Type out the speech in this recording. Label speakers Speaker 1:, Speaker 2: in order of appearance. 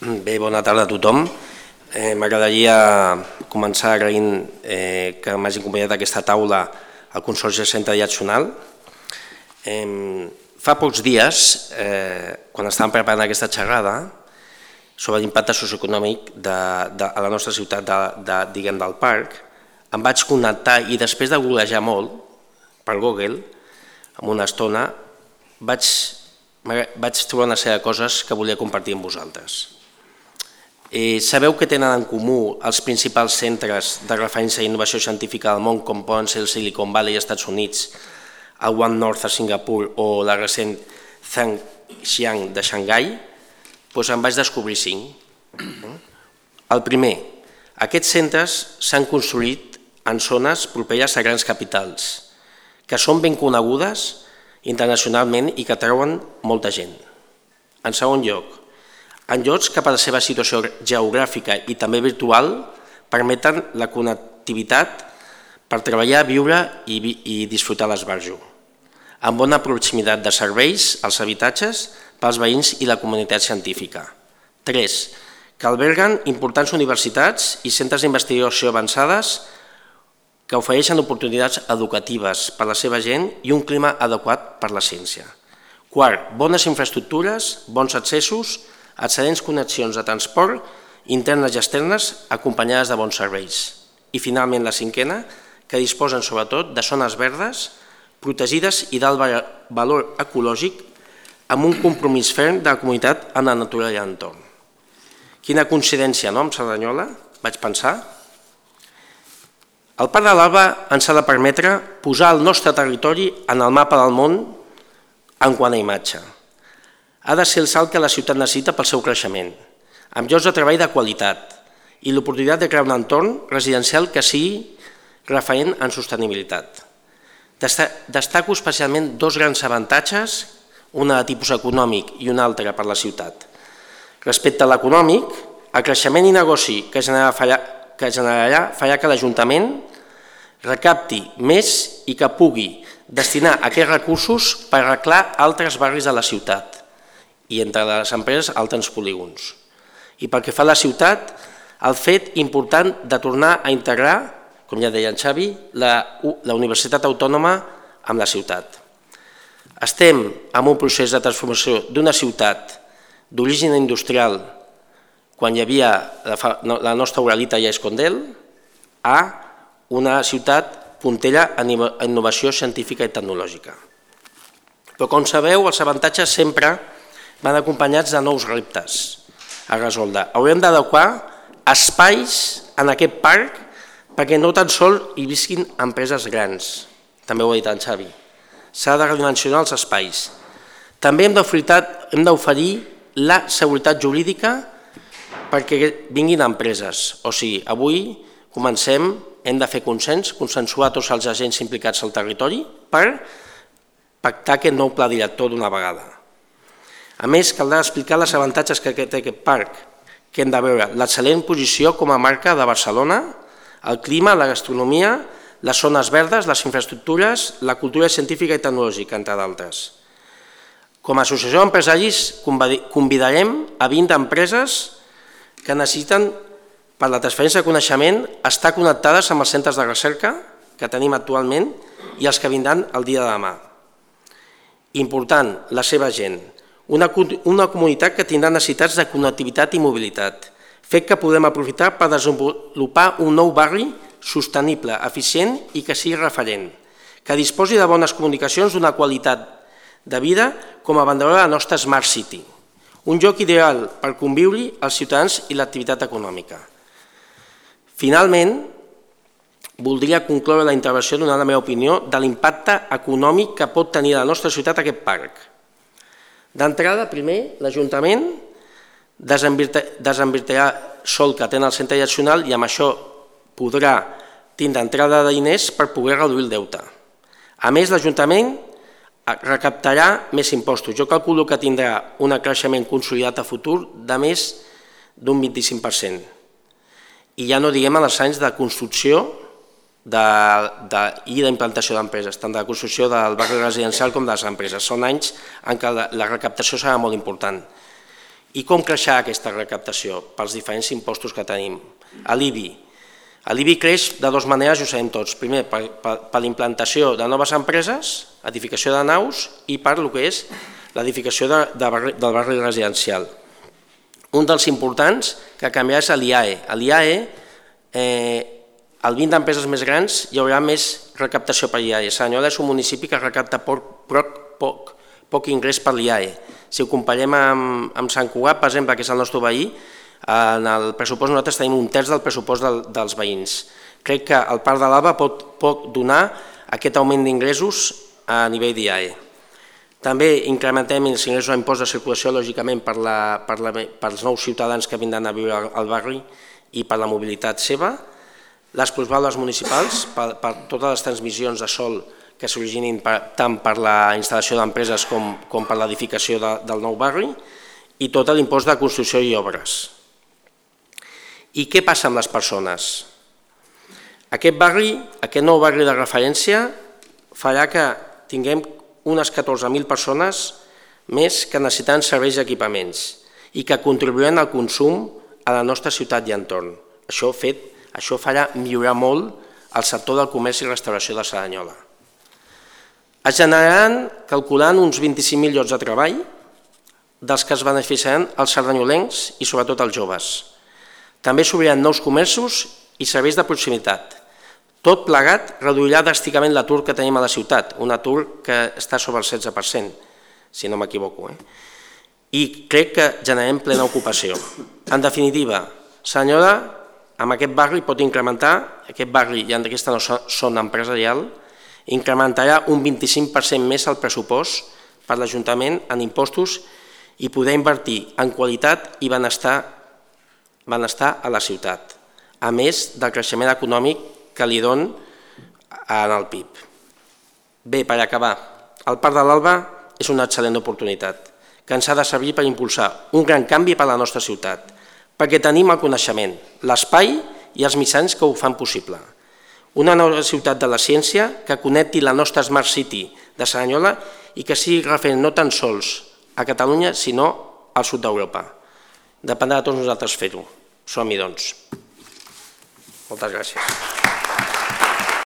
Speaker 1: Bé, bona tarda a tothom. M'agradaria començar agraint que m'hagin acompanyat aquesta taula al Consorci del Centre Direccional. Fa pocs dies, quan estàvem preparant aquesta xerrada sobre l'impacte socioeconòmic a la nostra ciutat del parc, em vaig connectar i després de googlejar molt per Google, en una estona, vaig trobar una sèrie de coses que volia compartir amb vosaltres. Sabeu que tenen en comú els principals centres de referència d'innovació científica del món, com poden ser el Silicon Valley als Estats Units, el One North a Singapur o la recent Zhangjiang de Xangai? Doncs en vaig descobrir 5. El primer, aquests centres s'han construït en zones properes a grans capitals, que són ben conegudes internacionalment i que atrauen molta gent. En segon lloc, en llocs que per la seva situació geogràfica i també virtual permeten la connectivitat per treballar, viure i disfrutar l'esbarjo, amb bona proximitat de serveis als habitatges pels veïns i la comunitat científica. 3. Que alberguen importants universitats i centres d'investigació avançades que ofereixen oportunitats educatives per a la seva gent i un clima adequat per a la ciència. 4. Bones infraestructures, bons accessos, excel·lents connexions de transport internes i externes acompanyades de bons serveis. I finalment la 5a, que disposen sobretot de zones verdes, protegides i d'alt valor ecològic amb un compromís ferm de la comunitat amb la natura i l'entorn. Quina coincidència, no?, amb Cerdanyola, vaig pensar. El Parc de l'Alba ens ha de permetre posar el nostre territori en el mapa del món en quant a imatge. Ha de ser el salt que la ciutat necessita pel seu creixement, amb llocs de treball de qualitat i l'oportunitat de crear un entorn residencial que sigui referent en sostenibilitat. Destaco especialment 2 grans avantatges, una de tipus econòmic i una altra per la ciutat. Respecte a l'econòmic, el creixement i negoci que generarà farà que l'Ajuntament recapti més i que pugui destinar aquests recursos per arreglar altres barris de la ciutat i entre les empreses altres polígons. I pel que fa a la ciutat, el fet important de tornar a integrar, com ja deia en Xavi, la Universitat Autònoma amb la ciutat. Estem en un procés de transformació d'una ciutat d'origen industrial, quan hi havia la nostra Uralita i Escondel, a una ciutat puntera en innovació científica i tecnològica. Però com sabeu, els avantatges sempre van acompanyats de nous reptes a resoldre. Haurem d'adequar espais en aquest parc perquè no tan sols hi visquin empreses grans, també ho ha dit en Xavi. S'ha de redimensionar els espais. També hem d'oferir la seguretat jurídica perquè vinguin empreses. O sigui, avui comencem, hem de fer consens, consensuar tots els agents implicats al territori per pactar aquest nou pla director d'una vegada. A més, caldrà explicar els avantatges que té aquest parc, que hem de veure l'excel·lent posició com a marca de Barcelona, el clima, la gastronomia, les zones verdes, les infraestructures, la cultura científica i tecnològica, entre d'altres. Com a associació d'empresaris convidarem a 20 empreses que necessiten, per la transferència de coneixement, estar connectades amb els centres de recerca que tenim actualment i els que vindran el dia de demà. Important, la seva gent. Una comunitat que tindrà necessitats de connectivitat i mobilitat, fet que podem aprofitar per desenvolupar un nou barri sostenible, eficient i que sigui referent, que disposi de bones comunicacions d'una qualitat de vida com a banderola de la nostra Smart City, un lloc ideal per conviure els ciutadans i l'activitat econòmica. Finalment, voldria concloure la intervenció donant la meva opinió de l'impacte econòmic que pot tenir a la nostra ciutat aquest parc. D'entrada, primer, l'Ajuntament desinvertirà sol que té en el centre direccional i amb això podrà tindre entrada de diners per poder reduir el deute. A més, l'Ajuntament recaptarà més impostos. Jo calculo que tindrà un creixement consolidat a futur de més d'un 25%. I ja no diguem en els anys de construcció i d'implantació d'empreses, tant de la construcció del barri residencial com de les empreses. Són anys en què la recaptació serà molt important. I com creixerà aquesta recaptació? Pels diferents impostos que tenim. L'IBI. L'IBI creix de dues maneres, ho sabem tots. Primer, per l'implantació de noves empreses, edificació de naus, i per el que és l'edificació del barri residencial. Un dels importants que canviarà és l'IAE. A l'IAE, al 20 d'empreses més grans, hi haurà més recaptació per l'IAE. Cerdanyola és un municipi que recapta poc ingrés per l'IAE. Si ho comparem amb Sant Cugat, per exemple, que és el nostre veí, en el pressupost nosaltres tenim un terç del pressupost dels veïns. Crec que el Parc de l'Alba pot donar aquest augment d'ingressos a nivell d'IAE. També incrementem els ingressos a impost de circulació, lògicament, pels nous ciutadans que vindran a viure al barri i per la mobilitat seva, les plusvàlues municipals, per totes les transmissions de sol que s'originin tant per la instal·lació d'empreses com per l'edificació del nou barri, i tot l'impost de construcció i obres. I què passa amb les persones? Aquest nou barri de referència farà que tinguem unes 14.000 persones més que necessiten serveis i equipaments i que contribuiran al consum a la nostra ciutat i entorn. Això farà millorar molt el sector del comerç i restauració de Cerdanyola. Es generaran, calculant, uns 25.000 llocs de treball, dels que es beneficiaran els cerdanyolencs i sobretot els joves. També s'obriran nous comerços i serveis de proximitat. Tot plegat reduirà dràsticament l'atur que tenim a la ciutat, un atur que està sobre el 16%, si no m'equivoco. I crec que generem plena ocupació. En definitiva, Cerdanyola, amb aquest barri pot incrementar, aquest barri i aquesta zona empresarial, incrementarà un 25% més el pressupost per l'Ajuntament en impostos i poder invertir en qualitat i benestar a la ciutat, a més del creixement econòmic que li dona en el PIB. Bé, per acabar, el Parc de l'Alba és una excel·lent oportunitat que ens ha de servir per impulsar un gran canvi per a la nostra ciutat, perquè tenim el coneixement, l'espai i els mitjans que ho fan possible. Una nova ciutat de la ciència que connecti la nostra Smart City de Cerdanyola i que sigui referent no tan sols a Catalunya, sinó al sud d'Europa. Dependrà de tots nosaltres fer-ho. Som-hi, doncs. Moltes gràcies.